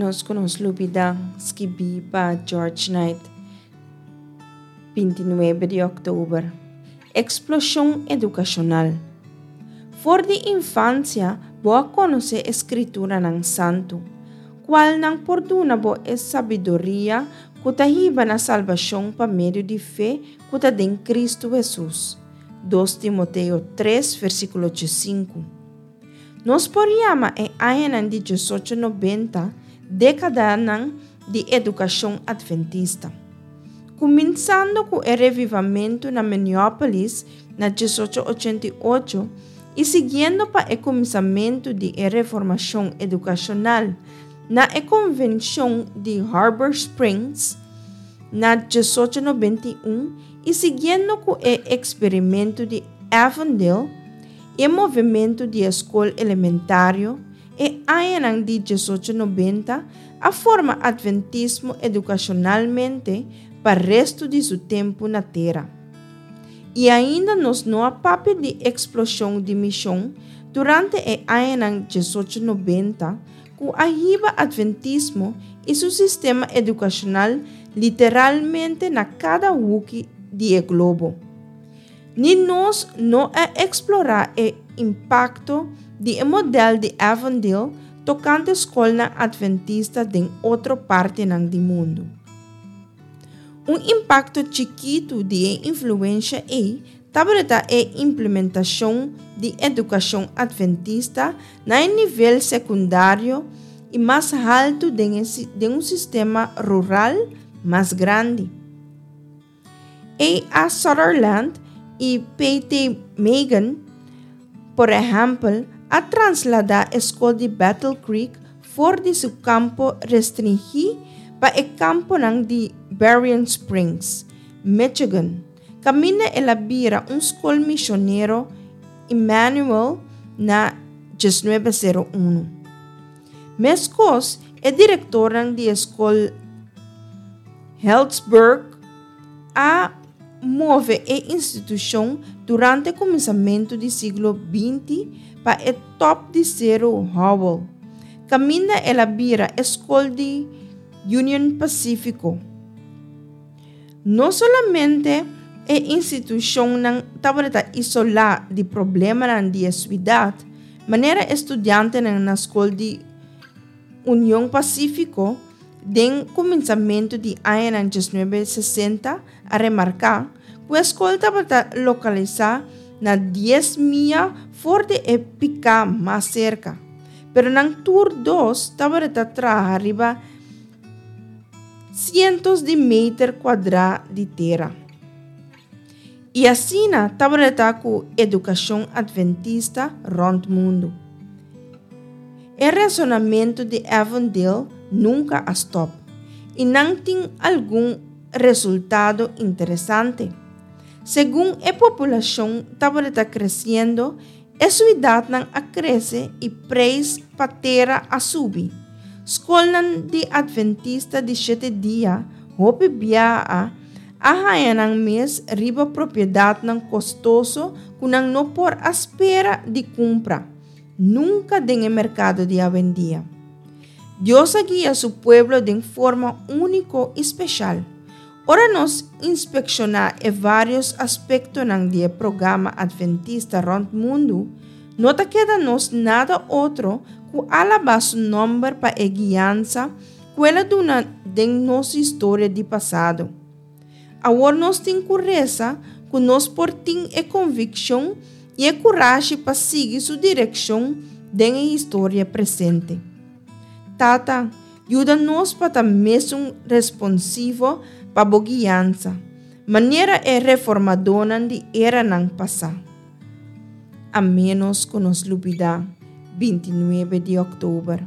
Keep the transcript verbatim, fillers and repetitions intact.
Ménos ku nos lubidá, skibí pa George Knight, bintinuebe di òktober. Eksploshon edukashonal. For di infansia bo a konosé e Skrituranan Santu, kualnan por duna bo e sabiduria ku ta hiba na salbashon pa medio di fe ku ta den Kristu Hesus. Dos Timoteo tres, versíkulo diesinku. Nos por yama e añanan di diesocho nobenta dékadanan di edukashon atventista. Kuminsando ku e revivamentu na Minneapolis na diesocho ochenta i ocho i siguiendo pa e kuminsamentu di e reformashon edukashonal na e konvenshon di Harbor Springs na diesocho nobenta i un i siguiendo ku e eksperimentu di Avondale i e movementu di e skol elementario, e añanan di diesocho nobenta a forma atventismo edukashonalmente pa restu di su tempu na tera. I ainda nos no a papia di eksploshon di mishon durante e añanan diesocho nobenta ku a hiba atventismo i su sistema edukashonal literalmente na kada huki di e globo. Ni nos no a eksplorá e impakto di e modèl di Avondale tokante skolnan atventista den otro partinan di mundu. Un impakto chikitu di e influensha ei tabata e implementashon di edukashon atventista na e nivel sekundario i mas haltu den e den un sistema rural mas grandi. A. A. Sutherland i P. T. Magan, por ehèmpel, a trasladá e skol di Battle Creek for di su kampo restringí pa e kamponan di Berrien Springs, Michigan, kaminda el a bira un skol mishonero Emmanuel na diesnuebe sero unu. Meskos, e direktornan di e skol Healdsburg a move e institushon durante kuminsamentu di siglo binti pa e top di Seru Howell, kaminda el a bira e skol di Union Pasífiko. No solamente e institushonnan tabata isolá di problemanan di e siudat, manera e studiantenan na skol di Union Pasífiko den kuminsamentu di añanan diesnuebe sesenta a remarká ku e skol tabata lokalisá na dies mia for di e piká mas serka, pero nan tur dos tabata traha riba sientos di meter kuadrá di tera. I asina tabata ku edukashon atventista rònt mundu. E resonamentu di Avondale nunka a stòp i nan tin algun resultado interesante. Segun e populashon tabata kresiendo, e siudatnan a krese i preis pa tera a subi. Skolnan di Atventista di Shete Dia hopi biaha a haña nan mes riba propiedatnan kostoso ku nan no por a spera di kumpra nunka den e merkado di awendia. Dios a guia su pueblo den forma úniko i speshal. Ora nos inspekshoná e vários aspektonan di e programa atventista rònt mundu, no ta keda nos nada otro ku alabá su nòmber pa e guiansa ku el a duna den nos historia di pasado. Awor nos tin ku resa ku nos por tin e konvikshon i e kurashi pa sigui su direkshon den e historia presente. Tata, yuda nos pa ta mesun responsivo pa bo guiansa, manera e reformadónan di eranan pasá. A ménos ku nos lubidá, bintinuebe di òktober.